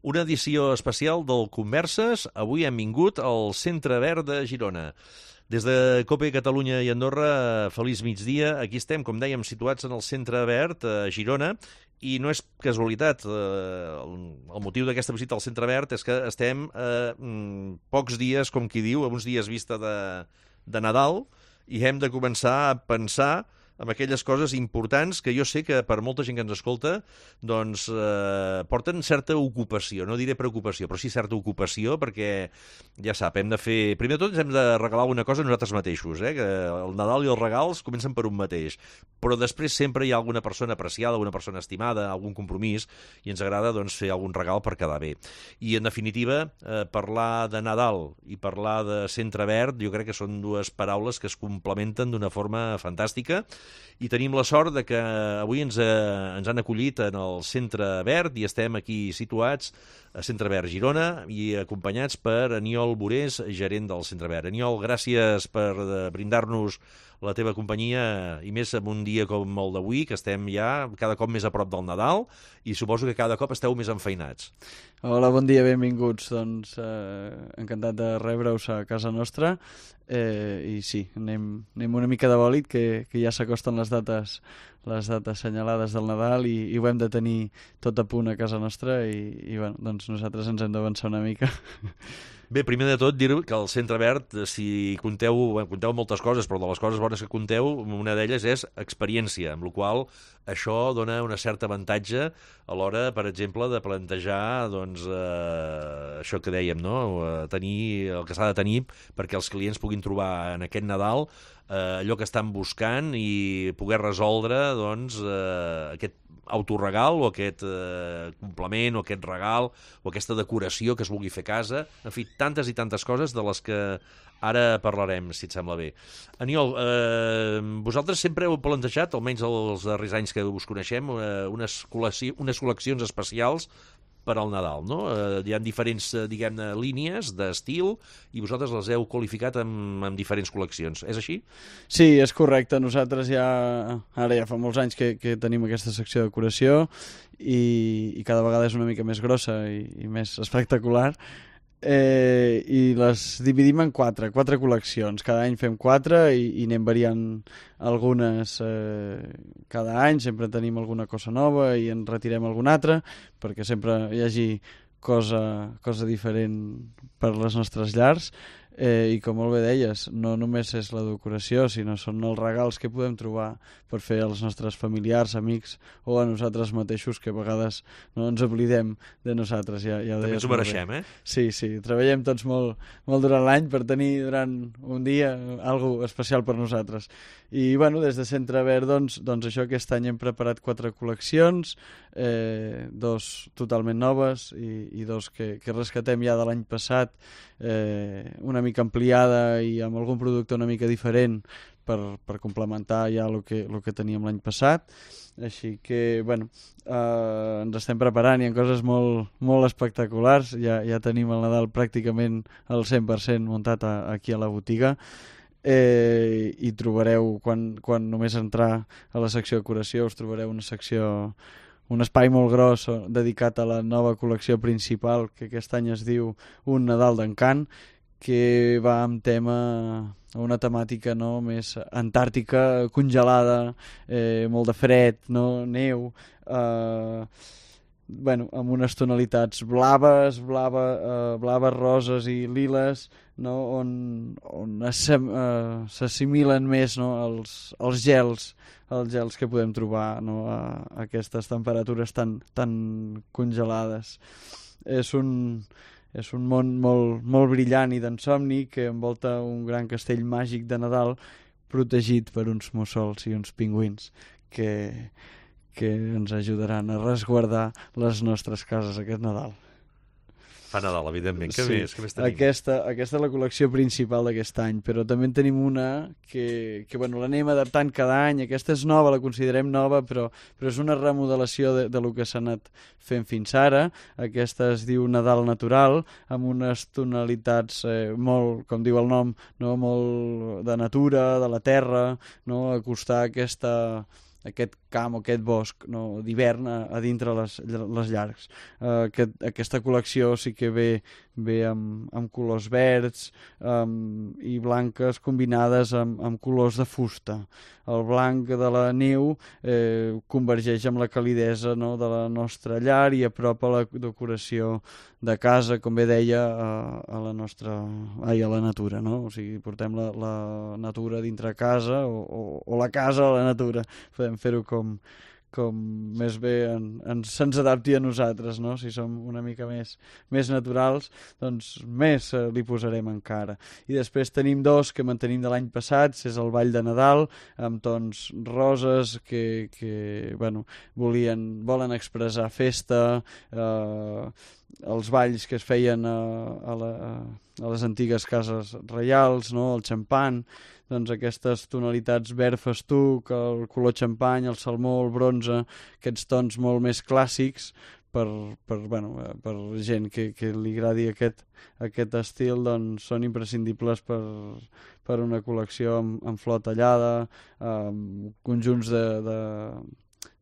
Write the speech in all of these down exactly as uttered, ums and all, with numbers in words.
Una edició especial del Converses. Avui hem vingut al Centre Verd de Girona. Des de COPE Catalunya i Andorra, feliç migdia. Aquí estem, com dèiem, situats en el Centre Verd, a Girona, i no és casualitat. El, el motiu d'aquesta visita al Centre Verd és que estem a eh, pocs dies, com qui diu, a uns dies vista de, de Nadal, i hem de començar a pensar amb aquelles coses importants que jo sé que per molta gent que ens escolta doncs eh, porten certa ocupació, no diré preocupació, però sí certa ocupació, perquè ja sap, hem de fer... Primer de tot ens hem de regalar una cosa a nosaltres mateixos, eh? Que el Nadal i els regals comencen per un mateix, però després sempre hi ha alguna persona apreciada, alguna persona estimada, algun compromís, i ens agrada doncs, fer algun regal per quedar bé. I en definitiva, eh, parlar de Nadal i parlar de Centre Verd, jo crec que són dues paraules que es complementen d'una forma fantàstica. I tenim la sort de que avui ens, eh, ens han acollit en el Centre Verd i estem aquí situats a Centre Verd Girona i acompanyats per Aniol Borés, gerent del Centre Verd. Aniol, gràcies per eh, brindar-nos la teva companyia, i més en un dia com el d'avui, que estem ja cada cop més a prop del Nadal, i suposo que cada cop esteu més enfeinats. Hola, bon dia, benvinguts. Doncs eh, encantat de rebre-us a casa nostra. Eh, I sí, anem, anem una mica de bòlit, que, que ja s'acosten les dates les dates assenyalades del Nadal i, i ho hem de tenir tot a punt a casa nostra i, i bueno, doncs nosaltres ens hem d'avançar una mica. Bé, primer de tot dir que el Centre Verd, si conteu, bueno, conteu moltes coses, però de les coses bones que conteu, una d'elles és experiència, amb la qual això dona una certa avantatge a l'hora, per exemple, de plantejar doncs, eh, això que dèiem, no? Tenir el que s'ha de tenir perquè els clients puguin trobar en aquest Nadal eh, allò que estan buscant i poder resoldre doncs, eh, aquest autoregal o aquest eh, complement o aquest regal o aquesta decoració que es vulgui fer a casa, en fi, tantes i tantes coses de les que ara parlarem, si et sembla bé. Aniol, eh, vosaltres sempre heu plantejat, almenys els darrers anys que us coneixem, eh, unes, col·lecci- unes col·leccions especials per al Nadal, no? Eh, hi ha diferents, eh, diguem-ne, línies d'estil i vosaltres les heu qualificat amb, amb diferents col·leccions. És així? Sí, és correcte. Nosaltres ja, ara ja fa molts anys que, que tenim aquesta secció de decoració i, i cada vegada és una mica més grossa i, i més espectacular. Eh, i les dividim en quatre, quatre col·leccions. Cada any fem quatre i, i anem variant algunes eh, cada any, sempre tenim alguna cosa nova i en retirem alguna altra perquè sempre hi hagi cosa, cosa diferent per les nostres llars. Eh, I com molt bé deies, no només és la decoració, sinó són els regals que podem trobar per fer als nostres familiars, amics o a nosaltres mateixos, que a vegades no ens oblidem de nosaltres. Ja, ja També ens ho mereixem, eh? Sí, sí, treballem tots molt, molt durant l'any per tenir durant un dia algo especial per nosaltres. I bueno, des de Centre Verd, doncs, doncs això, aquest any hem preparat quatre col·leccions, eh, dos totalment noves i, i dos que, que rescatem ja de l'any passat, eh, una mica ampliada i amb algun producte una mica diferent per, per complementar ja el que, el que teníem l'any passat. Així que, bueno, eh, ens estem preparant, hi ha coses molt, molt espectaculars, ja, ja tenim el Nadal pràcticament al cent per cent muntat a, aquí a la botiga. Eh, i trobareu, quan, quan només entrar a la secció de decoració, us trobareu una secció, un espai molt gros dedicat a la nova col·lecció principal, que aquest any es diu Un Nadal d'Encant, que va amb tema, una temàtica, no, més antàrtica, congelada, eh, molt de fred, no, neu, eh, bueno, amb unes tonalitats blaves, blava, eh, blaves, roses i liles, no, on, on s'assimilen uh, més, no, els, els gels, els gels que podem trobar, no, a, a aquestes temperatures tan, tan congelades. És un, és un món molt, molt brillant i d'ensomni que envolta un gran castell màgic de Nadal protegit per uns mussols i uns pingüins que, que ens ajudaran a resguardar les nostres cases aquest Nadal. Fa Nadal, evidentment. Què Sí, més? Què més tenim? Aquesta, aquesta és la col·lecció principal d'aquest any, però també en tenim una que, que bueno, l'anem adaptant cada any. Aquesta és nova, la considerem nova, però, però és una remodelació de, de lo que s'ha anat fent fins ara. Aquesta es diu Nadal Natural, amb unes tonalitats eh, molt, com diu el nom, no? Molt de natura, de la terra, no? Acostar aquesta, aquest camp o aquest bosc, no, d'hivern a, a dintre les, les llargs. Uh, aquest, aquesta col·lecció sí que ve, ve amb, amb colors verds um, i blanques combinades amb, amb colors de fusta. El blanc de la neu eh, convergeix amb la calidesa, no, de la nostra llar i apropa la decoració de casa, com bé deia, a, a la nostra, ai, a la natura, no? O sigui, portem la, la natura dintre casa o, o, o la casa a la natura. Podem fer-ho com, com més bé en, en, se'ns adapti a nosaltres, no? Si som una mica més, més naturals, doncs més eh, li posarem encara. I després tenim dos que mantenim de l'any passat, és el Ball de Nadal, amb tons roses que, que bueno, volien, volen expressar festa, eh, els balls que es feien a, a, la, a les antigues cases reials, no? El xampan, doncs aquestes tonalitats verd festuc, el color xampany, el salmó, el bronze, aquests tons molt més clàssics per, per, bueno, per gent que, que li agradi aquest, aquest estil, doncs són imprescindibles per, per una col·lecció amb, amb flor tallada, amb conjunts de, de,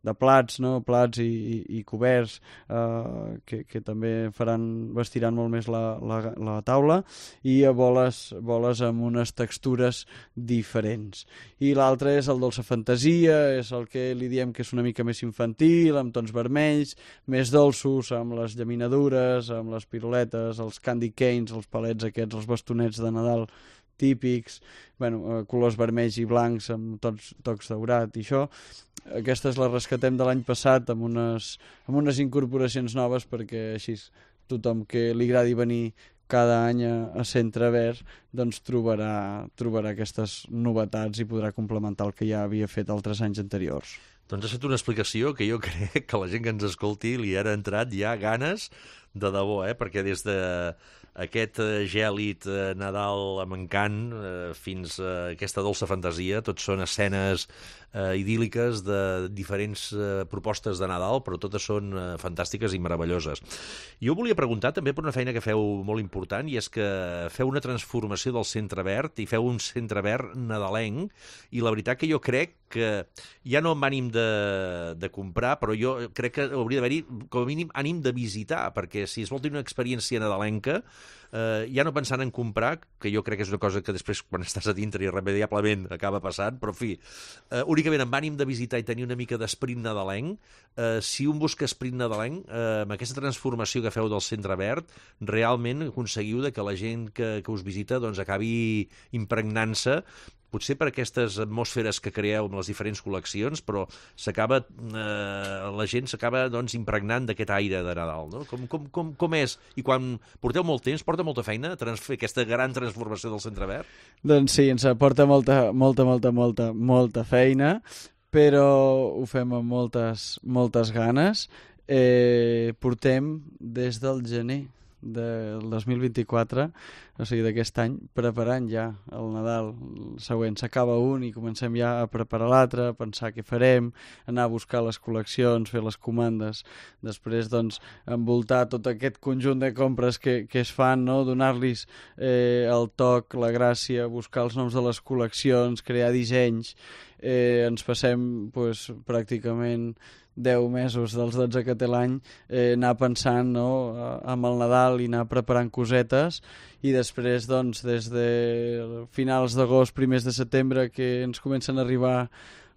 de plats, no? Plats i, i, i coberts eh, que, que també faran, vestiran molt més la, la, la taula, i a boles, boles amb unes textures diferents. I l'altre és el dolça fantasia, és el que li diem que és una mica més infantil, amb tons vermells, més dolços, amb les llaminadures, amb les piruletes, els candy canes, els palets aquests, els bastonets de Nadal típics, bueno, colors vermells i blancs amb tots tocs daurat i això. Aquestes les rescatem de l'any passat amb unes, amb unes incorporacions noves, perquè així tothom que li agradi venir cada any a, a Centre Verd doncs trobarà, trobarà aquestes novetats i podrà complementar el que ja havia fet altres anys anteriors. Doncs has fet una explicació que jo crec que la gent que ens escolti li ha entrat ja ganes de debò, eh? Perquè des de aquest gèlid eh, Nadal amb encant eh, fins a aquesta dolça fantasia, tot són escenes eh, idíl·liques de diferents eh, propostes de Nadal, però totes són eh, fantàstiques i meravelloses. Jo volia preguntar també per una feina que feu molt important, i és que feu una transformació del Centre Verd i feu un Centre Verd nadalenc, i la veritat que jo crec que ja no amb ànim de, de comprar, però jo crec que hauria d'haver-hi com a mínim ànim de visitar, perquè si es vol tenir una experiència nadalenca, eh, ja no pensant en comprar, que jo crec que és una cosa que després quan estàs a dintre irremediablement acaba passant, però en fi, eh, únicament amb ànim de visitar i tenir una mica d'esperit nadalenc, eh, si un busca esperit nadalenc, eh, amb aquesta transformació que feu del Centre Verd, realment aconseguiu de que la gent que, que us visita doncs, acabi impregnant-se, potser per aquestes atmosferes que creeu amb les diferents col·leccions, però s'acaba, eh, la gent s'acaba doncs, impregnant d'aquest aire de Nadal, no? Com, com, com, com és? I quan porteu molt temps, porta molta feina fer aquesta gran transformació del Centre Verd? Doncs sí, ens aporta molta, molta, molta, molta, molta feina, però ho fem amb moltes, moltes ganes. Eh, portem des del gener del dos mil vint-i-quatre, o sigui d'aquest any, preparant ja el Nadal següent. S'acaba un i comencem ja a preparar l'altre, a pensar què farem, anar a buscar les col·leccions, fer les comandes, després doncs envoltar tot aquest conjunt de compres que, que es fan, no? Donar-los eh, el toc, la gràcia, buscar els noms de les col·leccions, crear dissenys. Eh, ens passem pues, pràcticament deu mesos dels dotze que té l'any eh, anar pensant, no? Amb el Nadal i anar preparant cosetes, i després doncs des de finals d'agost, primers de setembre, que ens comencen a arribar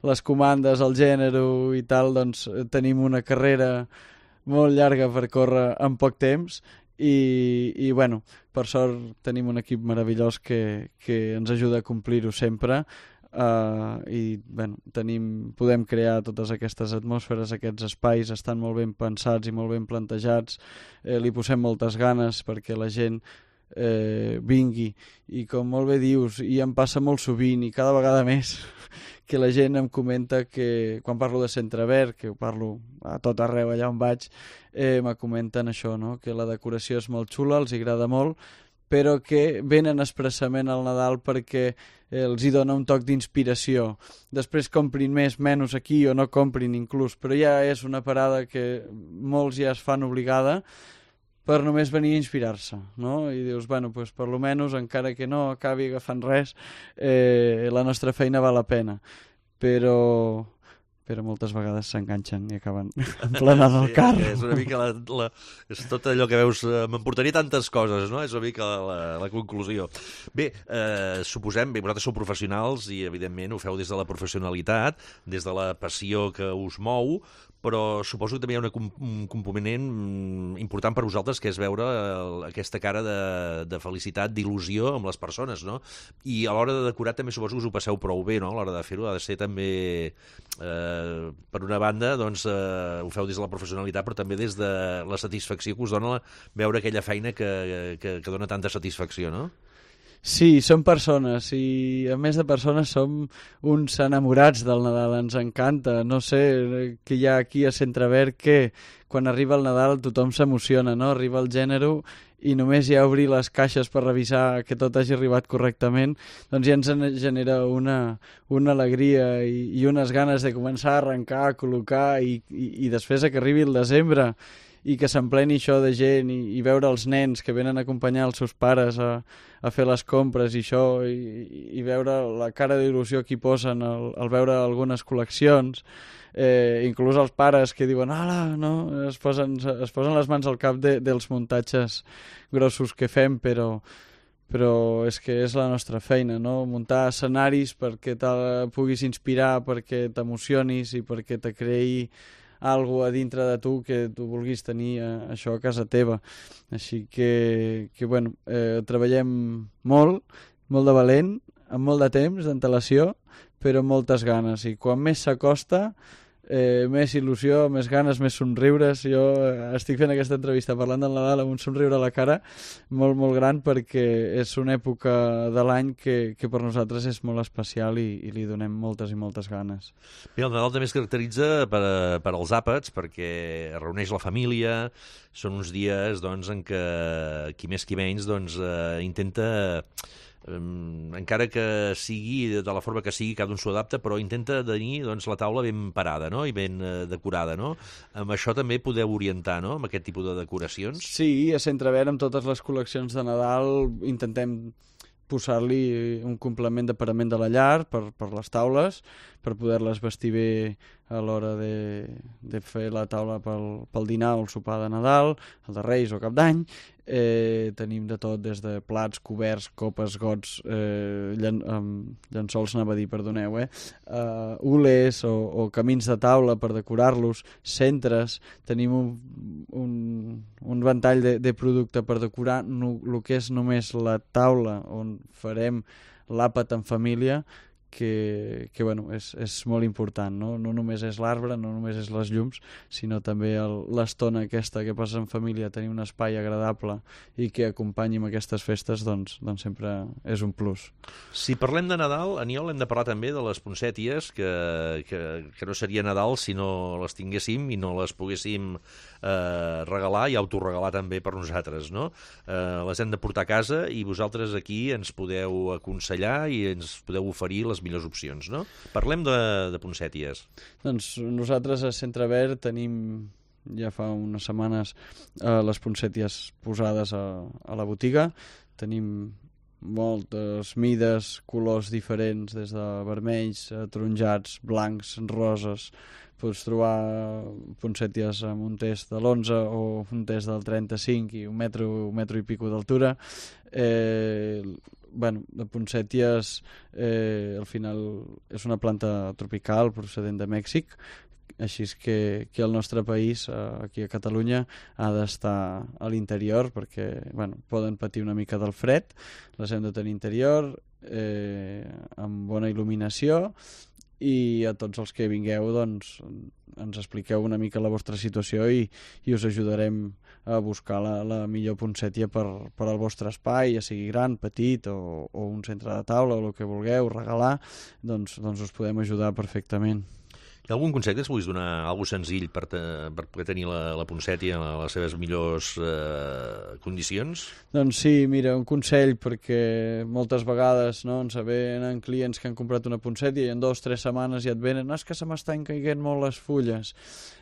les comandes, el gènere i tal, doncs tenim una carrera molt llarga per córrer en poc temps, i, i bueno, per sort tenim un equip meravellós que, que ens ajuda a complir-ho sempre. Uh, i bueno, tenim, podem crear totes aquestes atmosferes, aquests espais estan molt ben pensats i molt ben plantejats, eh, li posem moltes ganes perquè la gent eh, vingui, i com molt bé dius, i em passa molt sovint i cada vegada més que la gent em comenta que quan parlo de Centre Verd, que ho parlo a tot arreu allà on vaig, eh, me comenten això, no? Que la decoració és molt xula, els agrada molt, però que venen expressament al Nadal perquè els hi dona un toc d'inspiració. Després comprin més, menys aquí, o no comprin inclús, però ja és una parada que molts ja es fan obligada per només venir a inspirar-se, no? I dius, bueno, pues per lo menos, encara que no acabi agafant res, eh, la nostra feina val la pena. Però, però moltes vegades s'enganxen i acaben emplenant el carro. Sí, és una mica la, la, és tot allò que veus, eh, m'emportaria tantes coses, no? És una mica la, la conclusió. Bé, eh, suposem, bé, vosaltres sou professionals i evidentment ho feu des de la professionalitat, des de la passió que us mou, però suposo que també hi ha una, un component important per vosaltres, que és veure el, aquesta cara de, de felicitat, d'il·lusió amb les persones, no? I a l'hora de decorar també suposo que us ho passeu prou bé, no? A l'hora de fer-ho ha de ser també, eh, per una banda, doncs eh, ho feu des de la professionalitat, però també des de la satisfacció que us dona la, veure aquella feina que, que, que dona tanta satisfacció, no? Sí, som persones i a més de persones som uns enamorats del Nadal, ens encanta, no sé què hi ha aquí a Centreverd que quan arriba el Nadal tothom s'emociona, no? Arriba el gènere i només hi ha obrir les caixes per revisar que tot hagi arribat correctament, doncs ja ens genera una, una alegria i, i unes ganes de començar a arrencar, a col·locar i, i, i després que arribi el desembre i que s'empleni això de gent i, i veure els nens que venen a acompanyar els seus pares a, a fer les compres i això, i, i veure la cara d'il·lusió que hi posen al, al veure algunes col·leccions, eh, inclús els pares que diuen ala, no? Es posen, es posen les mans al cap de, dels muntatges grossos que fem, però però és que és la nostra feina, no? Muntar escenaris perquè te puguis inspirar, perquè t'emocionis i perquè te creï algo a dintre de tu que tu vulguis tenir eh, això a casa teva. Així que, que bueno, eh, treballem molt, molt de valent, amb molt de temps d'antelació, però amb moltes ganes. I quan més s'acosta, eh, més il·lusió, més ganes, més somriures. Jo estic fent aquesta entrevista parlant del Nadal amb un somriure a la cara molt, molt gran, perquè és una època de l'any que, que per nosaltres és molt especial i, i li donem moltes i moltes ganes. Bé, el Nadal també es caracteritza per, per als àpats, perquè reuneix la família, són uns dies doncs, en què qui més qui menys doncs, eh, intenta... Um, encara que sigui de la forma que sigui, cada un s'ho adapta, però intenta tenir doncs, la taula ben parada, no? I ben uh, decorada, no? Amb això també podeu orientar, no?, amb aquest tipus de decoracions. Sí, a Centreverd, amb totes les col·leccions de Nadal, intentem posar-li un complement de parament de la llar per, per les taules, per poder-les vestir bé a l'hora de, de fer la taula pel, pel dinar o el sopar de Nadal, el de Reis o Cap d'Any. Eh, tenim de tot, des de plats, coberts, copes, gots, eh, llen, um, llençols, anava a dir, perdoneu, eh? Uh, ules o, o camins de taula per decorar-los, centres, tenim un, un, un ventall de, de producte per decorar no, el que és només la taula on farem l'àpat en família, que, que bueno, és, és molt important, no? No només és l'arbre, no només és les llums, sinó també l'estona aquesta que passes en família, tenir un espai agradable i que acompanyi amb aquestes festes, doncs, doncs sempre és un plus. Si parlem de Nadal, Aniol, hem de parlar també de les poncèties, que, que, que no seria Nadal si no les tinguéssim i no les poguéssim eh, regalar i autoregalar també per nosaltres, no? Eh, les hem de portar a casa i vosaltres aquí ens podeu aconsellar i ens podeu oferir les millors opcions, no? Parlem de, de poncèties. Doncs nosaltres a Centreverd tenim ja fa unes setmanes eh, les poncèties posades a, a la botiga. Tenim moltes mides, colors diferents, des de vermells, a taronjats, blancs, roses. Pots trobar poncèties amb un test de l'onze o un test del trenta-cinc i un metro, un metro i pico d'altura. Eh, bueno, de poncèties eh, al final és una planta tropical procedent de Mèxic, així és que, que el nostre país, eh, aquí a Catalunya, ha d'estar a l'interior perquè bueno, poden patir una mica del fred, les hem de tenir interior, eh, amb bona il·luminació, i a tots els que vingueu doncs, ens expliqueu una mica la vostra situació i, i us ajudarem a buscar la, la millor poncètia per, per al vostre espai, ja sigui gran, petit o, o un centre de taula o el que vulgueu regalar, doncs, doncs us podem ajudar perfectament. Hi ha algun consell que es vulguis donar, algo senzill per, te, per poder tenir la, la poncètia a les seves millors eh, condicions? Doncs sí, mira, un consell, perquè moltes vegades no, ens venen clients que han comprat una poncètia i en dues o tres setmanes ja et venen, no, és que se m'estan caiguent molt les fulles.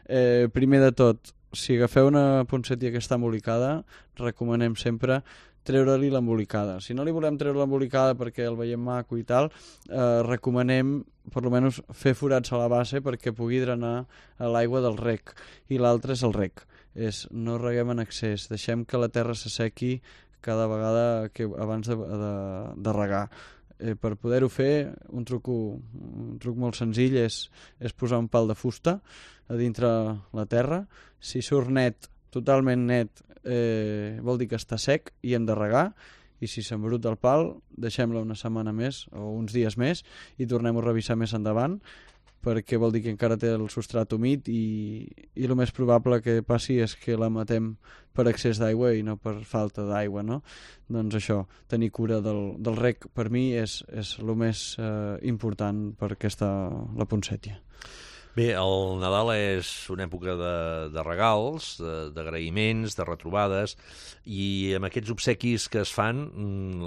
Eh, primer de tot, si agafeu una poncètia que està embolicada, recomanem sempre treure-li l'embolicada. Si no li volem treure l'embolicada perquè el veiem maco i tal, eh, recomanem per almenys fer forats a la base perquè pugui drenar a l'aigua del rec. I l'altre és el rec. És no reguem en excés, deixem que la terra s'assequi cada vegada que abans de, de, de regar. Eh, per poder-ho fer, un truc, un truc molt senzill és, és posar un pal de fusta a dintre la terra. Si surt net, totalment net, eh, vol dir que està sec i hem de regar, i si s'embruta el pal, deixem-la una setmana més o uns dies més i tornem-ho a revisar més endavant, perquè vol dir que encara té el substrat humit i, i el més probable que passi és que la matem per excés d'aigua i no per falta d'aigua, no? Doncs això, tenir cura del, del rec per mi és, és el més eh, important per aquesta, la poncètia. Bé, el Nadal és una època de, de regals, d'agraïments, de, de retrobades, i amb aquests obsequis que es fan,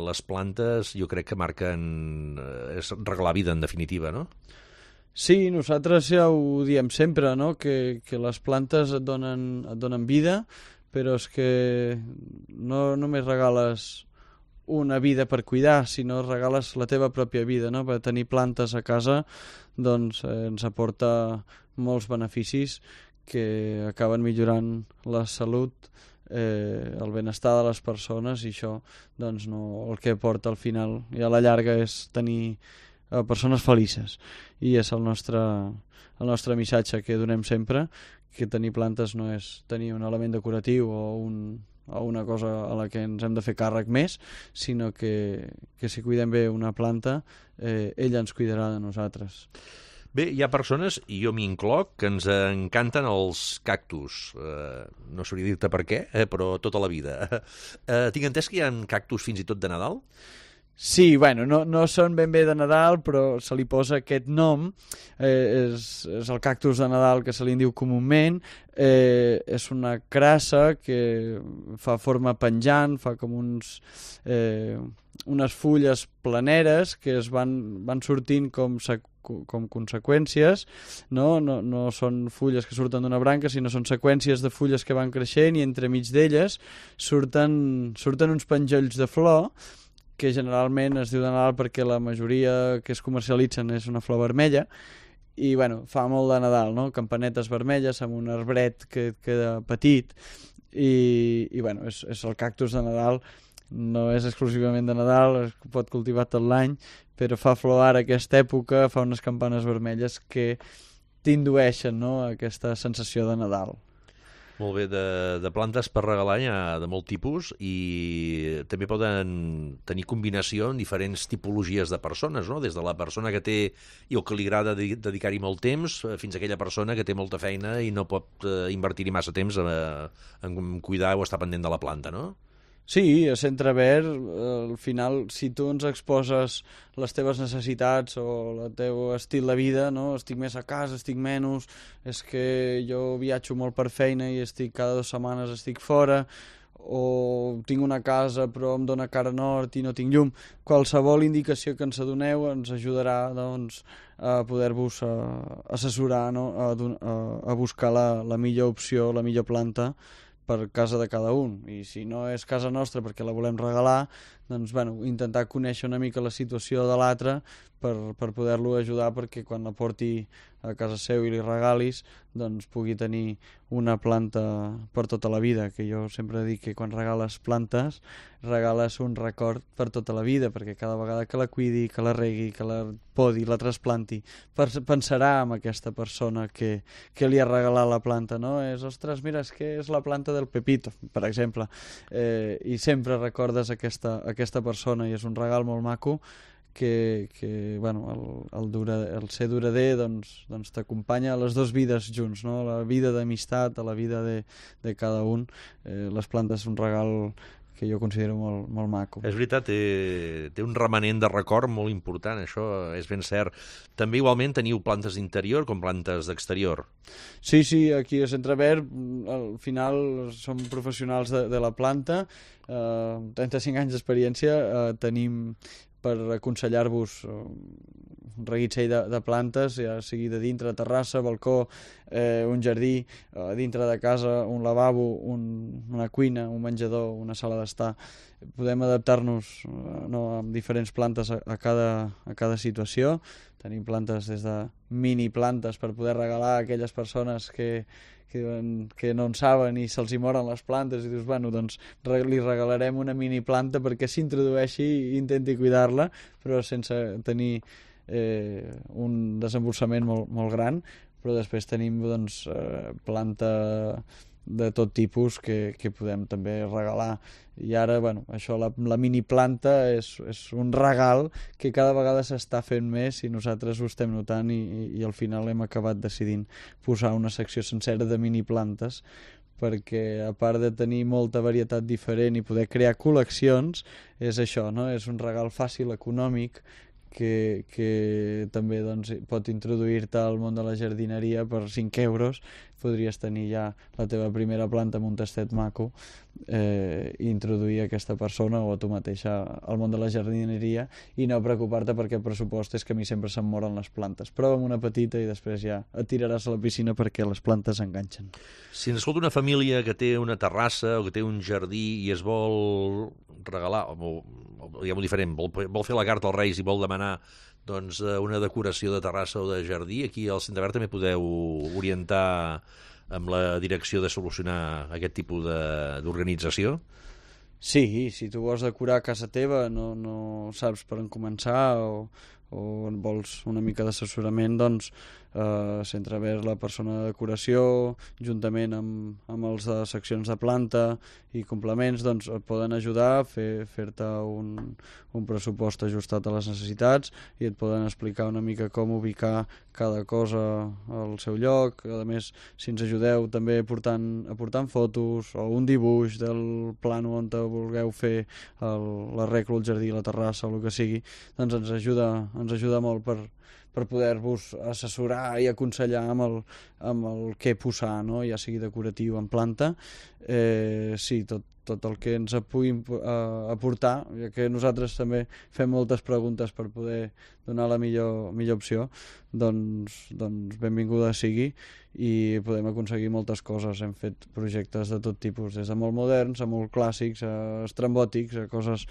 les plantes jo crec que marquen, és regalar vida en definitiva, no? Sí, nosaltres ja ho diem sempre, no? que, que les plantes et donen, et donen vida, però és que no només regales una vida per cuidar, sinó regales la teva pròpia vida, no? Per tenir plantes a casa doncs eh, ens aporta molts beneficis que acaben millorant la salut, eh, el benestar de les persones, i això doncs, no, el que porta al final i a la llarga és tenir eh, persones felices, i és el nostre, el nostre missatge que donem sempre, que tenir plantes no és tenir un element decoratiu o un o una cosa a la que ens hem de fer càrrec més, sinó que, que si cuidem bé una planta, eh, ella ens cuidarà de nosaltres. Bé, hi ha persones, i jo m'hi incloc, que ens encanten els cactus. Eh, no sabria dir-te per què, eh, però tota la vida. Eh, tinc entès que hi ha cactus fins i tot de Nadal? Sí, bueno, no, no són ben bé de Nadal, però se li posa aquest nom, eh, és, és el cactus de Nadal que se li diu comúment, eh, és una crassa que fa forma penjant, fa com uns, eh, unes fulles planeres que es van, van sortint com, com conseqüències, no? No, no són fulles que surten d'una branca, sinó són seqüències de fulles que van creixent i entremig d'elles surten, surten uns penjolls de flor, que generalment es diu de Nadal perquè la majoria que es comercialitzen és una flor vermella, i bueno, fa molt de Nadal, no? Campanetes vermelles amb un arbret que queda petit, i, i bueno, és, és el cactus de Nadal, no és exclusivament de Nadal, es pot cultivar tot l'any, però fa flor ara aquesta època, fa unes campanes vermelles que t'indueixen, no?, aquesta sensació de Nadal. Molt bé, de, de plantes per regalar hi ha de molt tipus, i també poden tenir combinació en diferents tipologies de persones, no? Des de la persona que té i o que li agrada dedicar-hi molt temps fins a aquella persona que té molta feina i no pot eh, invertir-hi massa temps en, en cuidar o estar pendent de la planta, no? Sí, a Centre Verd, al final, si tu ens exposes les teves necessitats o el teu estil de vida, no? Estic més a casa, estic menys, és que jo viatjo molt per feina i estic cada dues setmanes estic fora, o tinc una casa però em dóna cara nord i no tinc llum. Qualsevol indicació que ens adoneu ens ajudarà, doncs, a poder-vos assessorar, no? a, a, a buscar la, la millor opció, la millor planta per casa de cada un, i si no és casa nostra perquè la volem regalar, doncs bueno, intentar conèixer una mica la situació de l'altre per, per poder-lo ajudar perquè quan la porti a casa seu i li regalis, doncs pugui tenir una planta per tota la vida, que jo sempre dic que quan regales plantes regales un record per tota la vida, perquè cada vegada que la cuidi, que la regui, que la podi, la trasplanti, pensarà en aquesta persona que, que li ha regalat la planta, no? És, ostres, mira, és que és la planta del Pepito, per exemple, eh, i sempre recordes aquesta, aquesta persona, i és un regal molt maco que, que bueno, el, el, dura, el ser durader doncs, doncs t'acompanya a les dues vides junts, no? La vida d'amistat, a la vida de, de cada un. Eh, les plantes és un regal que jo considero molt, molt maco. És veritat, té, té un remanent de record molt important, això és ben cert. També igualment teniu plantes d'interior com plantes d'exterior. Sí, sí, aquí a Centre Verd al final som professionals de, de la planta, eh, trenta-cinc anys d'experiència, eh, tenim per aconsellar-vos un reguitzell de, de plantes, ja sigui de dintre, terrassa, balcó, eh, un jardí, eh, dintre de casa, un lavabo, un, una cuina, un menjador, una sala d'estar. Podem adaptar-nos eh, no, amb diferents plantes a, a, cada, a cada situació. Tenim plantes des de mini plantes per poder regalar a aquelles persones que, que, que no en saben i se'ls hi moren les plantes i dius, bueno, doncs li regalarem una mini planta perquè s'introdueixi i intenti cuidar-la, però sense tenir eh, un desembolsament molt, molt gran. Però després tenim doncs, eh, planta de tot tipus que, que podem també regalar. I ara, bueno, això, la, la mini planta és, és un regal que cada vegada s'està fent més i nosaltres ho estem notant i, i, i al final hem acabat decidint posar una secció sencera de mini plantes perquè a part de tenir molta varietat diferent i poder crear col·leccions, és això, no? És un regal fàcil, econòmic, que, que també doncs, pot introduir-te al món de la jardineria per cinc euros. Podries tenir ja la teva primera planta amb un tastet maco eh, i introduir aquesta persona o a tu mateixa al món de la jardineria i no preocupar-te perquè el pressupost és que a mi sempre se'm moren les plantes. Prova amb una petita i després ja et tiraràs a la piscina perquè les plantes enganxen. Si ens escolta una família que té una terrassa o que té un jardí i es vol regalar, o, o diguem-ho diferent, vol, vol fer la carta als Reis i vol demanar doncs, una decoració de terrassa o de jardí, aquí al Centre Verd també podeu orientar amb la direcció de solucionar aquest tipus d'organització? Sí, si tu vols decorar casa teva, no, no saps per on començar o, o vols una mica d'assessorament, doncs eh, Centre Verd, la persona de decoració, juntament amb, amb els de seccions de planta i complements, doncs et poden ajudar a fer, fer-te un, un pressupost ajustat a les necessitats i et poden explicar una mica com ubicar cada cosa al seu lloc. A més, si ens ajudeu també aportant, aportant fotos o un dibuix del plano on te vulgueu fer l'arreglo, el jardí, la terrassa o el que sigui, doncs ens ajuda, ens ajuda molt per, per poder-vos assessorar i aconsellar amb el, amb el què posar, no? Ja sigui decoratiu en planta. Eh, sí, tot, tot el que ens pugui uh, aportar, ja que nosaltres també fem moltes preguntes per poder donar la millor, millor opció, doncs, doncs benvinguda sigui i podem aconseguir moltes coses. Hem fet projectes de tot tipus, des de molt moderns a molt clàssics, a estrambòtics, a coses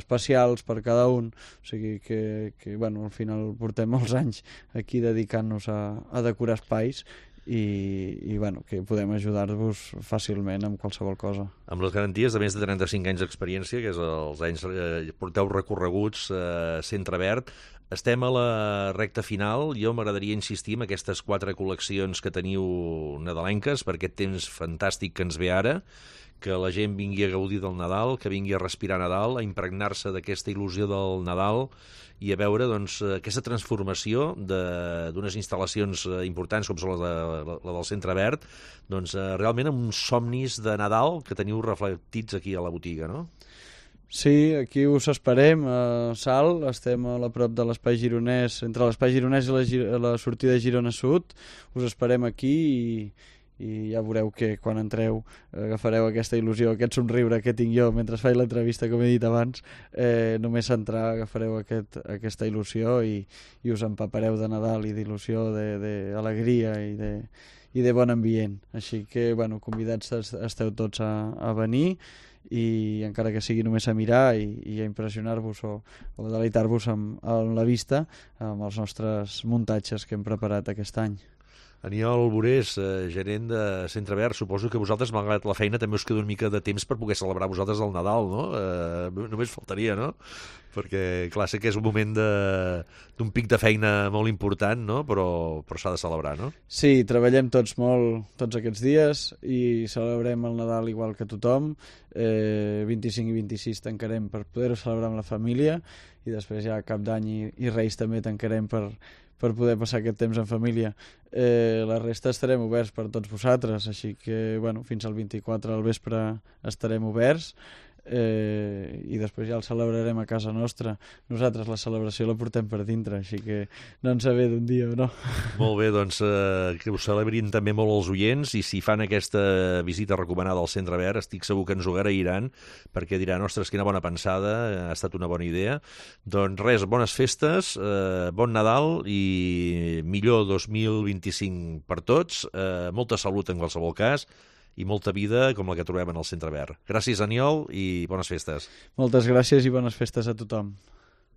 especials per cada un. O sigui que, que bueno, al final portem molts anys aquí dedicant-nos a, a decorar espais i, i bueno, que podem ajudar-vos fàcilment amb qualsevol cosa. Amb les garanties de més de trenta-cinc anys d'experiència, que és els anys eh, porteu recorreguts eh, Centre Verd, estem a la recta final. Jo m'agradaria insistir en aquestes quatre col·leccions que teniu nadalenques per aquest temps fantàstic que ens ve ara, que la gent vingui a gaudir del Nadal, que vingui a respirar Nadal, a impregnar-se d'aquesta il·lusió del Nadal i a veure doncs, aquesta transformació d'unes instal·lacions importants com són la, de, la del Centre Verd, doncs, realment amb uns somnis de Nadal que teniu reflectits aquí a la botiga, no? Sí, aquí us esperem a Salt, estem a la prop de l'Espai Gironès, entre l'Espai Gironès i la, la sortida de Girona Sud, us esperem aquí i i ja veureu que quan entreu agafareu aquesta il·lusió, aquest somriure que tinc jo mentre faig l'entrevista, com he dit abans. Eh, només entrar agafareu aquest, aquesta il·lusió i, i us empapareu de Nadal i d'il·lusió, d'alegria i, de, i de bon ambient. Així que, bueno, convidats esteu tots a, a venir i encara que sigui només a mirar i, i a impressionar-vos o, o deleitar-vos amb, amb la vista amb els nostres muntatges que hem preparat aquest any. Aniol Borés, eh, gerent de Centre Verd, suposo que vosaltres, malgrat la feina, també us queda una mica de temps per poder celebrar vosaltres el Nadal, no? Eh, només faltaria, no? Perquè, clar, sé que és un moment d'un pic de feina molt important, no? Però, però s'ha de celebrar, no? Sí, treballem tots molt tots aquests dies i celebrem el Nadal igual que tothom. Eh, vint-i-cinc i vint-i-sis tancarem per poder-ho celebrar amb la família i després ja Cap d'Any i, i Reis també tancarem per per poder passar aquest temps en família. Eh, la resta estarem oberts per tots vosaltres, així que bueno, fins al vint-i-quatre al vespre estarem oberts. eh, i després ja el celebrarem a casa nostra. Nosaltres la celebració la portem per dintre, així que no ens ve d'un dia o no. Molt bé, doncs eh, que ho celebrin també molt els oients, i si fan aquesta visita recomanada al Centre Verd, estic segur que ens ho agrairan, perquè diran, ostres, quina bona pensada, ha estat una bona idea. Doncs res, bones festes, eh, bon Nadal i millor dos mil vint-i-cinc per tots, eh, molta salut en qualsevol cas, i molta vida com la que trobem en el Centre Verd. Gràcies, Aniol, i bones festes. Moltes gràcies i bones festes a tothom.